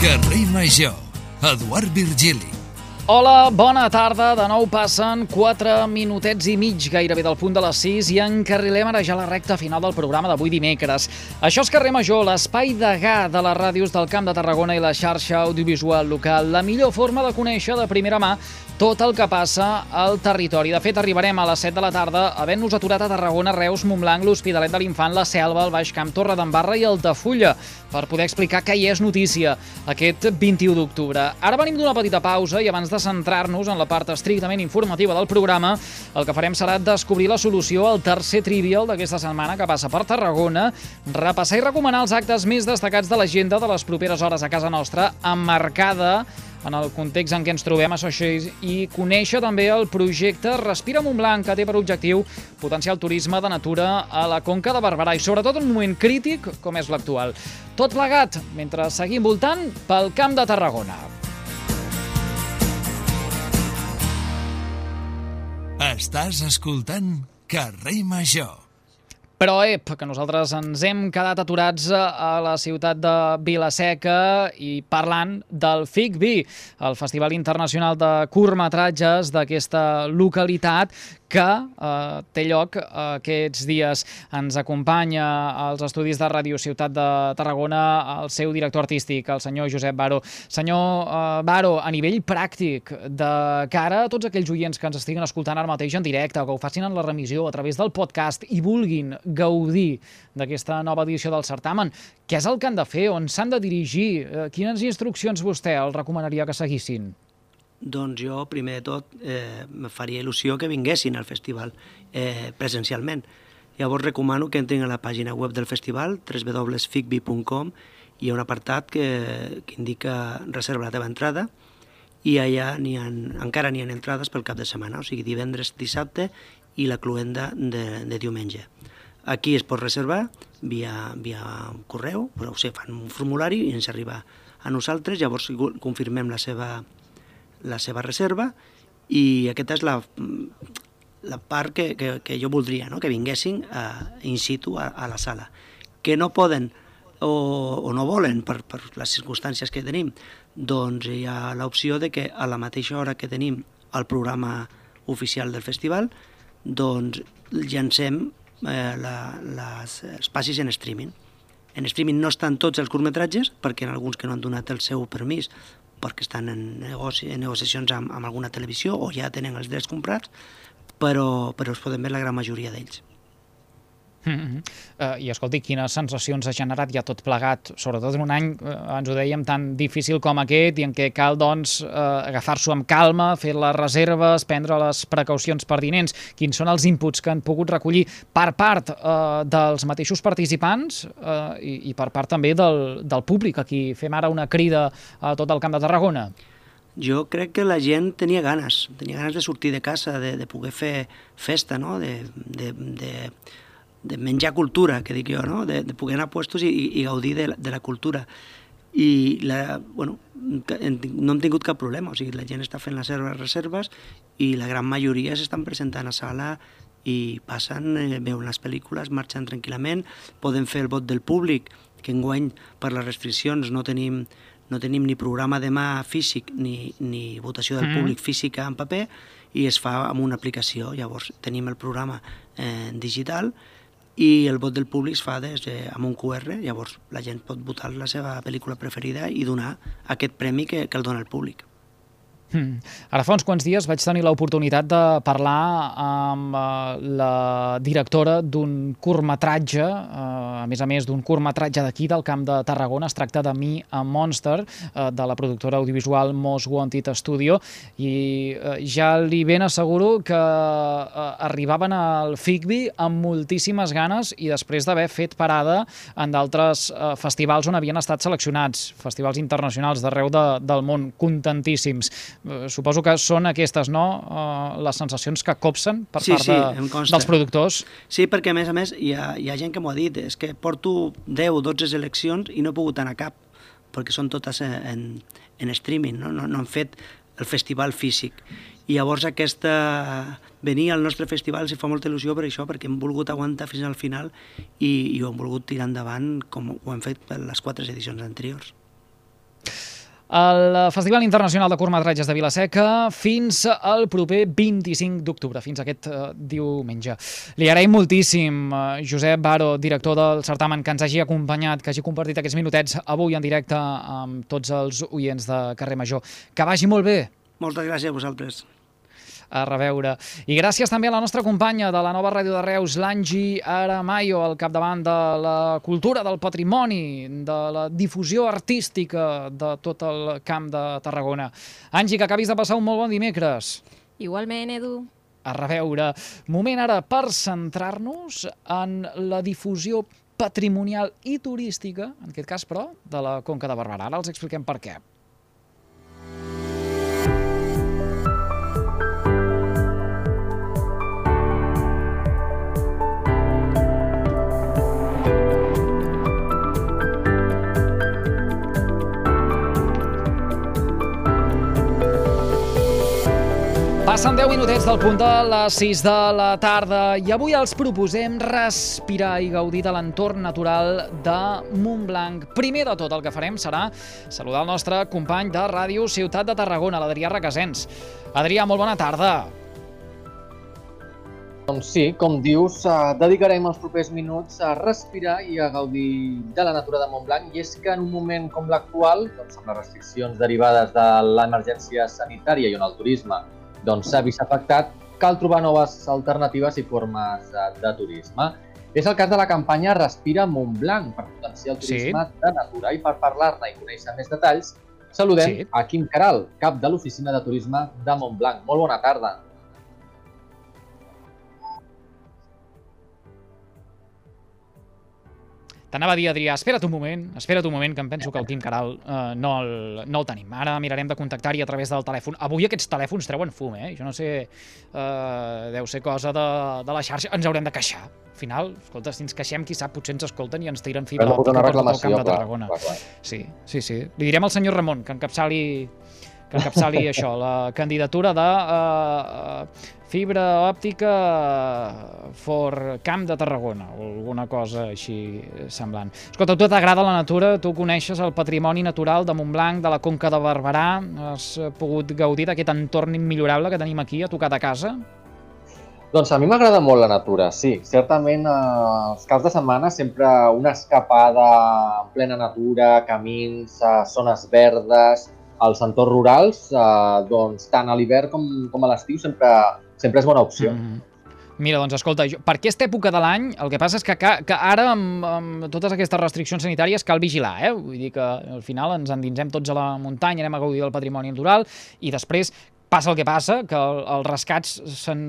Carrer Major, Eduard Virgili. Hola, bona tarda. De nou passen 4 minutets i mig gairebé del punt de les 6 i encarrilem ara ja la recta final del programa d'avui dimecres. Això és Carrer Major, l'espai degà de les ràdios del Camp de Tarragona i la xarxa audiovisual local. La millor forma de conèixer de primera mà tot el que passa al territori. De fet, arribarem a les 7 de la tarda havent-nos aturat a Tarragona, Reus, Montblanc, l'Hospitalet de l'Infant, la Selva, el Baix Camp, Torredembarra i Altafulla per poder explicar què hi és notícia aquest 21 d'octubre. Ara venim d'una petita pausa i abans de centrar-nos en la part estrictament informativa del programa, el que farem serà descobrir la solució al tercer trivial d'aquesta setmana que passa per Tarragona, repassar i recomanar els actes més destacats de l'agenda de les properes hores a casa nostra, emmarcada en el context en què ens trobem i conèixer també el projecte Respira Montblanc, que té per objectiu potenciar el turisme de natura a la Conca de Barberà i sobretot en un moment crític com és l'actual. Tot plegat mentre seguim voltant pel Camp de Tarragona. Estàs escoltant Carrer Major. Però, que nosaltres ens hem quedat aturats a la ciutat de Vila-seca i parlant del FICBI, el Festival Internacional de Curtmetratges d'aquesta localitat que té lloc aquests dies. Ens acompanya als estudis de Ràdio Ciutat de Tarragona el seu director artístic, el senyor Josep Baro. Senyor Baro, a nivell pràctic, de cara a tots aquells oients que ens estiguin escoltant ara mateix en directe o que ho facin en la remissió a través del podcast i vulguin gaudir d'aquesta nova edició del certamen, què és el que han de fer? On s'han de dirigir? Quines instruccions vostè els recomanaria que seguissin? Doncs jo, primer de tot, me faria il·lusió que vinguessin al festival presencialment. Llavors recomano que entrin a la pàgina web del festival, www.ficbi.com, hi ha un apartat que indica reserva la teva entrada i allà encara n'hi ha entrades pel cap de setmana, o sigui, divendres, dissabte i la cloenda de diumenge. Aquí es pot reservar via correu, però fan un formulari i ens arriba a nosaltres, llavors confirmem la seva reserva i aquesta és la part que jo voldria, no? Que vinguessin in situ a la sala. Que no poden o no volen per les circumstàncies que tenim, doncs hi ha l'opció de que a la mateixa hora que tenim el programa oficial del festival, doncs llancem els passis en streaming. En streaming no estan tots els curtmetratges, perquè hi ha alguns que no han donat el seu permís perquè estan en negociacions amb alguna televisió o ja tenen els drets comprats, però es poden veure la gran majoria d'ells. I escolti, quines sensacions ha generat ja tot plegat, sobretot en un any, ens ho dèiem, tan difícil com aquest i en què cal, doncs, agafar-s'ho amb calma, fer les reserves, prendre les precaucions pertinents. Quins són els inputs que han pogut recollir per part dels mateixos participants i per part també del públic, a qui fem ara una crida a tot el Camp de Tarragona? Jo crec que la gent tenia ganes de sortir de casa, de poder fer festa, no? De menjar cultura, que dic jo, no? De poder anar a puestos i gaudir de la cultura. I no hem tingut cap problema, o sigui, la gent està fent les reserves i la gran majoria s'estan presentant a sala i passen, veuen les pel·lícules, marxen tranquil·lament, poden fer el vot del públic, que enguany per les restriccions no tenim ni programa de mà físic ni votació del públic física en paper i es fa amb una aplicació. Llavors tenim el programa digital i el vot del públic es fa amb un QR, llavors la gent pot votar la seva pel·lícula preferida i donar aquest premi que el dona el públic. Ara fa uns quants dies vaig tenir l'oportunitat de parlar amb la directora d'un curtmetratge, a més d'un curtmetratge d'aquí del Camp de Tarragona. Es tracta de Me a Monster, de la productora audiovisual Most Wanted Studio, i ja li ben asseguro que arribaven al FICBI amb moltíssimes ganes i després d'haver fet parada en d'altres festivals on havien estat seleccionats, festivals internacionals d'arreu del món, contentíssims. Suposo que són aquestes, no?, les sensacions que copsen per part dels productors. Sí, perquè a més hi ha gent que m'ho ha dit, és que porto 10 o 12 seleccions i no he pogut anar a cap, perquè són totes en streaming, no han fet el festival físic. I llavors venir al nostre festival s'hi fa molta il·lusió per això, perquè hem volgut aguantar fins al final i ho hem volgut tirar endavant com ho hem fet per les 4 edicions anteriors. El Festival Internacional de Curtmetratges de Vila-seca fins al proper 25 d'octubre, fins aquest diumenge. Li agraïm moltíssim, Josep Baro, director del certamen, que ens hagi acompanyat, que hagi compartit aquests minutets avui en directe amb tots els oients de Carrer Major. Que vagi molt bé. Moltes gràcies a vosaltres. A reveure. I gràcies també a la nostra companya de la nova ràdio de Reus, l'Angi Aramayo, al capdavant de la cultura, del patrimoni, de la difusió artística de tot el Camp de Tarragona. Angi, que acabis de passar un molt bon dimecres. Igualment, Edu. A reveure. Moment ara per centrar-nos en la difusió patrimonial i turística, en aquest cas, però, de la Conca de Barberà. Ara els expliquem per què. Passen 10 minutets del punt de les 6 de la tarda i avui els proposem respirar i gaudir de l'entorn natural de Montblanc. Primer de tot el que farem serà saludar el nostre company de Ràdio Ciutat de Tarragona, l'Adrià Requesens. Adrià, molt bona tarda. Doncs sí, com dius, dedicarem els propers minuts a respirar i a gaudir de la natura de Montblanc, i és que en un moment com l'actual, doncs amb les restriccions derivades de l'emergència sanitària i on el turisme s'ha vist afectat, cal trobar noves alternatives i formes de turisme. És el cas de la campanya Respira Montblanc per potenciar el turisme de natura, i per parlar-ne i conèixer més detalls, saludem a Quim Caral, cap de l'Oficina de Turisme de Montblanc. Molt bona tarda. T'anava a dir, Adrià, espera't un moment, que em penso que el Quim Caral no el tenim. Ara mirarem de contactar-hi a través del telèfon. Avui aquests telèfons treuen fum, Jo no sé, deu ser cosa de la xarxa. Ens haurem de queixar. Al final, escolta, si ens queixem, qui sap, potser ens escolten i ens tiren fibra òptica per tot el Camp de Tarragona. Sí. Li direm al senyor Ramon que encapçali això, la candidatura de fibra òptica for Camp de Tarragona o alguna cosa així semblant. Escolta, a tu t'agrada la natura, tu coneixes el patrimoni natural de Montblanc, de la Conca de Barberà, has pogut gaudir d'aquest entorn immillorable que tenim aquí a tocar de casa? Doncs a mi m'agrada molt la natura, sí. Certament, els caps de setmana sempre una escapada en plena natura, camins, zones verdes, als entorns rurals, doncs tant a l'hivern com a l'estiu sempre és bona opció. Mira, doncs escolta, per aquesta època de l'any el que passa és que ara amb totes aquestes restriccions sanitàries cal vigilar, Vull dir que al final ens endinsem tots a la muntanya, anem a gaudir del patrimoni natural i després passa el que passa, que els rescats s'han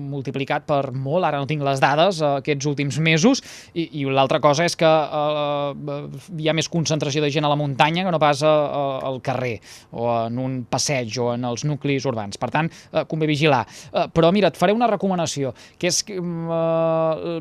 multiplicat per molt, ara no tinc les dades, aquests últims mesos, i l'altra cosa és que hi ha més concentració de gent a la muntanya que no pas al carrer, o en un passeig, o en els nuclis urbans. Per tant, convé vigilar. Però mira, et faré una recomanació, que és que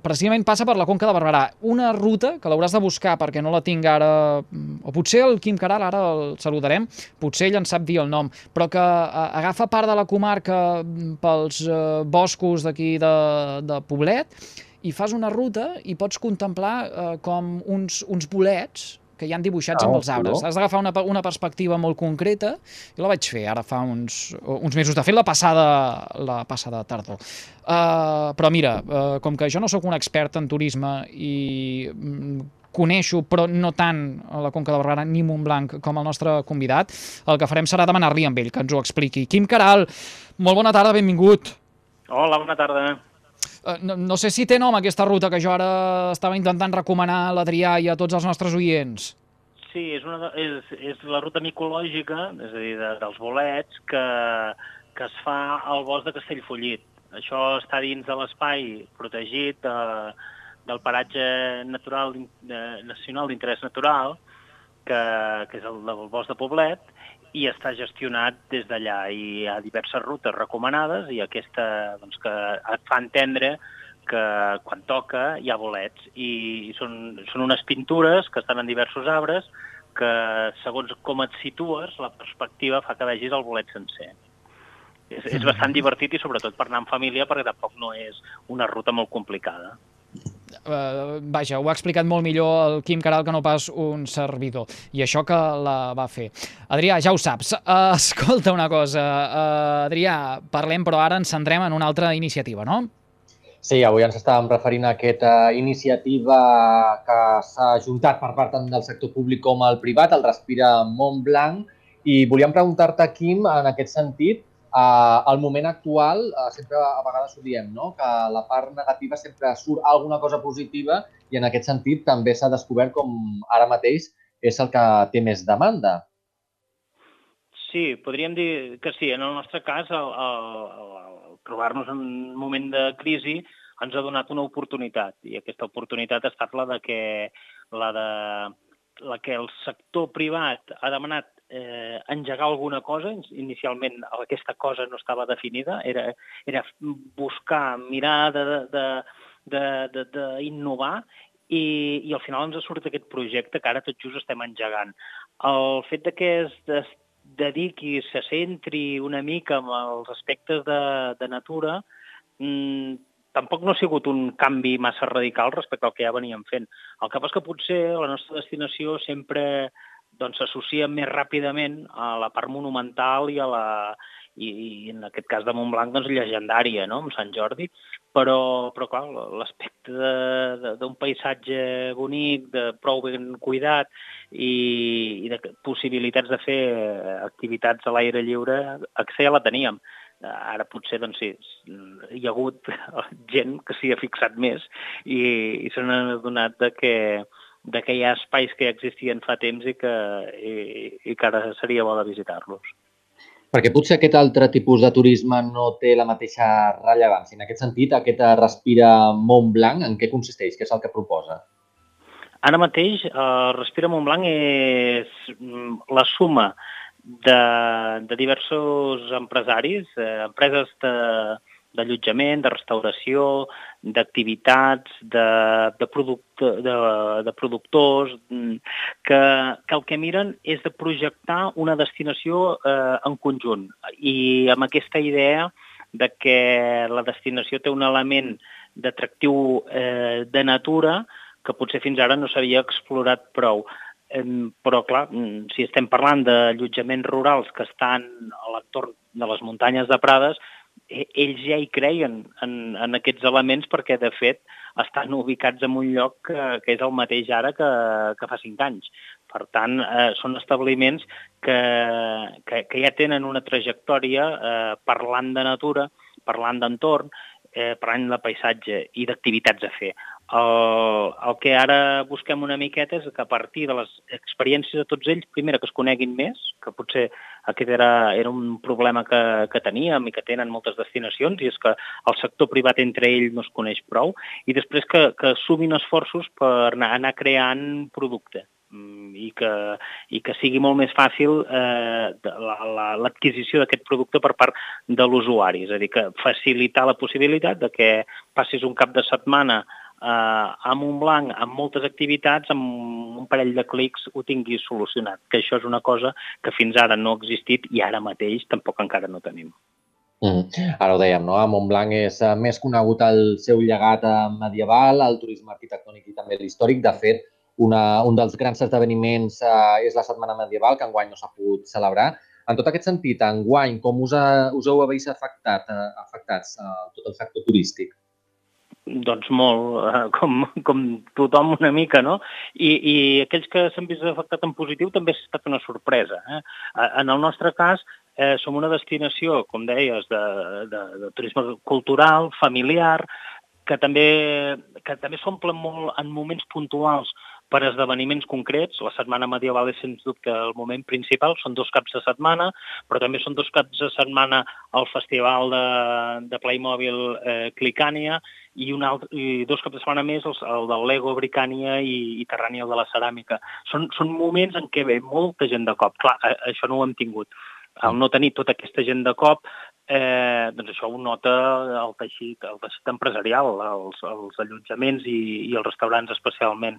precisament passa per la Conca de Barberà. Una ruta que l'hauràs de buscar perquè no la tinc ara, o potser el Quim Caral, ara el saludarem, potser ell en sap dir el nom, però que agafa part de la comarca pels boscos d'aquí de Poblet i fas una ruta i pots contemplar com uns bolets que hi han dibuixats amb els arbres. Has d'agafar una perspectiva molt concreta i la vaig fer ara fa uns mesos. De fet, la passada tardor. Però mira, com que jo no sóc un expert en turisme i coneixo, però no tant a la Conca de Barberà ni Montblanc com el nostre convidat, el que farem serà demanar-li amb ell que ens ho expliqui. Quim Caral, molt bona tarda, benvingut. Hola, bona tarda. No sé si té nom aquesta ruta que jo ara estava intentant recomanar a l'Adrià i a tots els nostres oients. Sí, és la ruta micològica, és a dir, dels bolets, que es fa al bosc de Castellfollit. Això està dins de l'espai protegit del paratge natural nacional d'interès natural, que és el del bosc de Poblet, i està gestionat des d'allà. I hi ha diverses rutes recomanades i aquesta que et fa entendre que quan toca hi ha bolets. I són unes pintures que estan en diversos arbres que, segons com et situes, la perspectiva fa que vegis el bolet sencer. És bastant divertit i sobretot per anar en família perquè tampoc no és una ruta molt complicada. Vaja, ho ha explicat molt millor el Quim Queralt que no pas un servidor. I això que la va fer. Adrià, ja ho saps. Escolta una cosa. Adrià, parlem, però ara ens centrem en una altra iniciativa, no? Sí, avui ens estàvem referint a aquesta iniciativa que s'ha ajuntat per part tant del sector públic com el privat, el Respira Montblanc, i volíem preguntar-te, Quim, en aquest sentit, al moment actual, sempre a vegades ho diem, no? Que la part negativa sempre surt alguna cosa positiva i en aquest sentit també s'ha descobert com ara mateix és el que té més demanda. Sí, podríem dir que sí. En el nostre cas, trobar-nos en un moment de crisi ens ha donat una oportunitat, i aquesta oportunitat ha estat la que el sector privat ha demanat engegar alguna cosa. Inicialment aquesta cosa no estava definida, era buscar, mirar d'innovar, i al final ens ha sortit aquest projecte que ara tot just estem engegant. El fet de que es dediqui, se centri una mica en els aspectes de natura, tampoc no ha sigut un canvi massa radical respecte al que ja veníem fent. El que passa és que potser la nostra destinació sempre s'associa més ràpidament a la part monumental i en aquest cas de Montblanc, llegendària, no?, amb Sant Jordi, però clar, l'aspecte d'un paisatge bonic, de prou ben cuidat i de possibilitats de fer activitats a l'aire lliure, ja la teníem. Ara potser sí, hi ha hagut gent que s'hi ha fixat més i se n'ha adonat que hi ha espais que ja existien fa temps i que ara seria bo de visitar-los. Perquè potser aquest altre tipus de turisme no té la mateixa rellevància. En aquest sentit, aquest Respira Montblanc, en què consisteix? Què és el que proposa? Ara mateix, Respira Montblanc és la suma de diversos empresaris, empreses d'allotjament, de restauració, d'activitats, de productors, que el que miren és de projectar una destinació en conjunt. I amb aquesta idea de que la destinació té un element d'atractiu de natura que potser fins ara no s'havia explorat prou. Però, clar, si estem parlant d'allotjaments rurals que estan a l'entorn de les muntanyes de Prades, ells ja hi creien en aquests elements perquè, de fet, estan ubicats en un lloc que és el mateix ara que fa 5 anys. Per tant, són establiments que ja tenen una trajectòria parlant de natura, parlant d'entorn, parlant de paisatge i d'activitats a fer. El que ara busquem una miqueta és que a partir de les experiències de tots ells, primera, que es coneguin més, que potser aquest era un problema que teníem i que tenen moltes destinacions, i és que el sector privat entre ells no es coneix prou, i després que sumin esforços per anar creant producte i que sigui molt més fàcil l'adquisició d'aquest producte per part de l'usuari. És a dir, que facilitar la possibilitat de que passis un cap de setmana a Montblanc amb moltes activitats, amb un parell de clics ho tinguis solucionat, que això és una cosa que fins ara no ha existit i ara mateix tampoc encara no tenim. Ara ho dèiem, no? A Montblanc és més conegut el seu llegat medieval, el turisme arquitectònic i també l'històric. De fet, un dels grans esdeveniments és la Setmana Medieval, que enguany no s'ha pogut celebrar. En tot aquest sentit, enguany, com us heu vist afectats tot el sector turístic? Doncs molt, com tothom una mica, no? I aquells que s'han vist afectats en positiu també ha estat una sorpresa. En el nostre cas, som una destinació, com deies, de turisme cultural, familiar, que també s'omple molt en moments puntuals per esdeveniments concrets. La Setmana Medieval és, sens dubte, el moment principal. Són 2 caps de setmana, però també són 2 caps de setmana al Festival de Playmobil Clicània i 2 caps de setmana més el del Lego Bricània i Terrània de la Ceràmica. Són moments en què ve molta gent de cop. Clar, això no ho hem tingut. Al no tenir tota aquesta gent de cop, doncs això ho nota el teixit empresarial, els allotjaments i els restaurants especialment.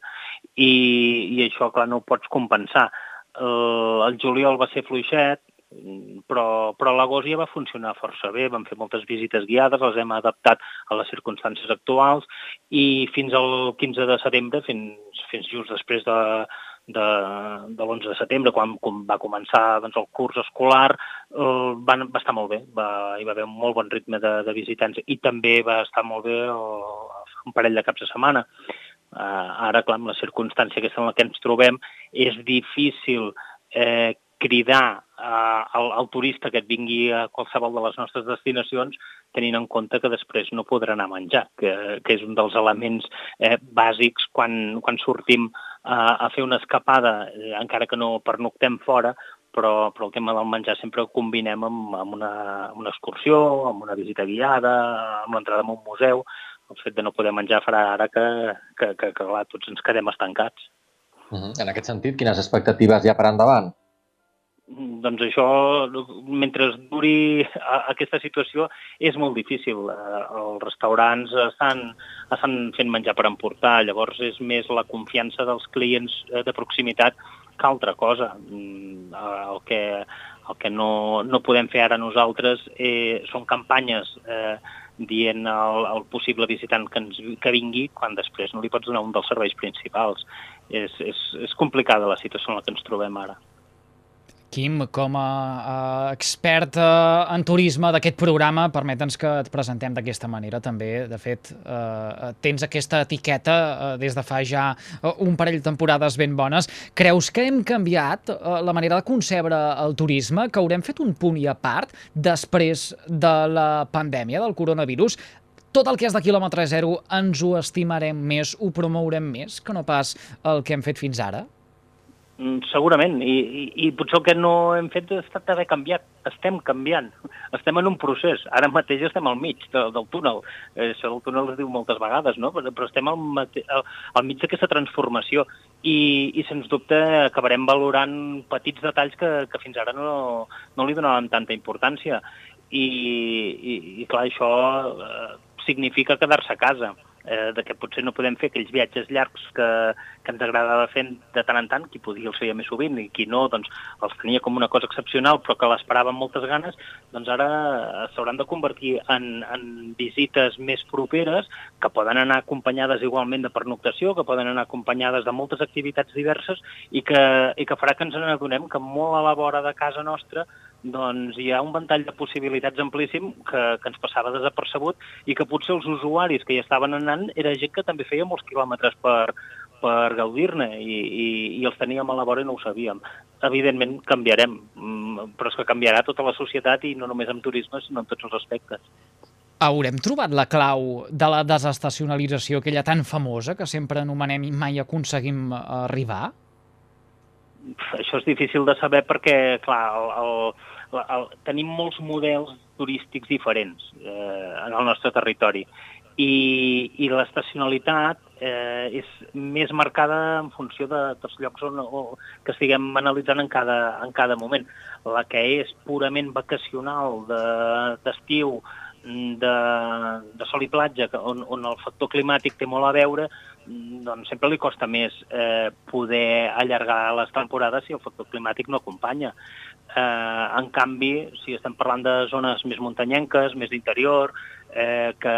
I això, clar, no ho pots compensar. El juliol va ser fluixet, però a l'agost ja va funcionar força bé, vam fer moltes visites guiades, les hem adaptat a les circumstàncies actuals i fins al 15 de setembre, fins just després de l'11 de setembre, quan va començar doncs, el curs escolar, va estar molt bé, hi va haver un molt bon ritme de visitants i també va estar molt bé un parell de caps de setmana. Ara, clar, amb la circumstància aquesta en la que ens trobem, és difícil cridar al turista que et vingui a qualsevol de les nostres destinacions tenint en compte que després no podrà anar a menjar, que és un dels elements bàsics quan sortim a fer una escapada, encara que no pernoctem fora, però el tema del menjar sempre ho combinem amb una excursió, amb una visita guiada, amb l'entrada en un museu. El fet de no poder menjar farà ara que clar, tots ens quedem estancats. En aquest sentit, quines expectatives hi ha per endavant? Doncs això, mentre duri aquesta situació, és molt difícil. Els restaurants estan fent menjar per emportar, llavors és més la confiança dels clients de proximitat que altra cosa. El que no podem fer ara nosaltres són campanyes dient al possible visitant que vingui quan després no li pots donar un dels serveis principals. És complicada la situació en la que ens trobem ara. Quim, com a expert en turisme d'aquest programa, permeta'ns que et presentem d'aquesta manera també. De fet, tens aquesta etiqueta des de fa ja un parell de temporades ben bones. Creus que hem canviat la manera de concebre el turisme, que haurem fet un punt i a part després de la pandèmia del coronavirus? Tot el que és de quilòmetre zero ens ho estimarem més, ho promourem més que no pas el que hem fet fins ara? Segurament, i potser el que no hem fet ha estat d'haver canviat. Estem canviant, estem en un procés. Ara mateix estem al mig del túnel. Això del túnel es diu moltes vegades, no? Però estem al mig d'aquesta transformació i sens dubte acabarem valorant petits detalls que fins ara no li donàvem tanta importància. I clar, això significa quedar-se a casa. Que potser no podem fer aquells viatges llargs que ens agradava fer de tant en tant, qui podia els feia més sovint i qui no, doncs els tenia com una cosa excepcional però que l'esperava amb moltes ganes, doncs ara s'hauran de convertir en visites més properes que poden anar acompanyades igualment de pernoctació, que poden anar acompanyades de moltes activitats diverses i que farà que ens n'adonem que molt a la vora de casa nostra doncs hi ha un ventall de possibilitats amplíssim que ens passava desapercebut i que potser els usuaris que hi estaven anant era gent que també feia molts quilòmetres per gaudir-ne i els teníem a la vora i no ho sabíem. Evidentment canviarem, però és que canviarà tota la societat i no només amb turisme, sinó en tots els aspectes. Haurem trobat la clau de la desestacionalització, aquella tan famosa que sempre anomenem i mai aconseguim arribar? Això és difícil de saber perquè, clar, tenim molts models turístics diferents en el nostre territori i l'estacionalitat és més marcada en funció dels llocs que estiguem analitzant en cada moment. La que és purament vacacional, d'estiu, de sol i platja, on el factor climàtic té molt a veure, doncs sempre li costa més poder allargar les temporades si el factor climàtic no acompanya. En canvi, si estem parlant de zones més muntanyenques, més d'interior, que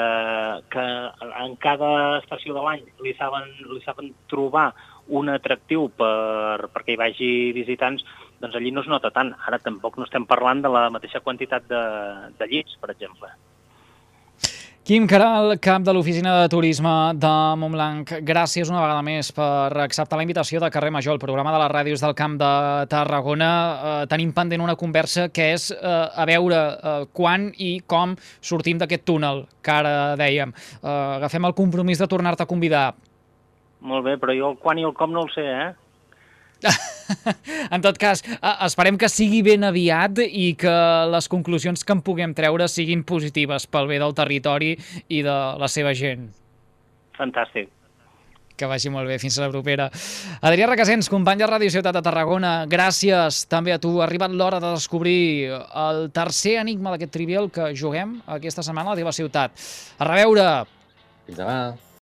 en cada estació de l'any li saben trobar un atractiu perquè hi vagi visitants, doncs allí no es nota tant. Ara tampoc no estem parlant de la mateixa quantitat de llits, per exemple. Quim Queralt, cap de l'Oficina de Turisme de Montblanc, gràcies una vegada més per acceptar la invitació de Carrer Major, el programa de les ràdios del Camp de Tarragona. Tenim pendent una conversa que és a veure quan i com sortim d'aquest túnel, que ara dèiem. Agafem el compromís de tornar-te a convidar. Molt bé, però jo el quan i el com no el sé, En tot cas, esperem que sigui ben aviat i que les conclusions que en puguem treure siguin positives pel bé del territori i de la seva gent. Fantàstic. Que vagi molt bé, fins a la propera. Adrià Requesens, company de Ràdio Ciutat de Tarragona, gràcies també a tu. Ha arribat l'hora de descobrir el tercer enigma d'aquest trivial que juguem aquesta setmana a la teva ciutat. A reveure! Fins demà!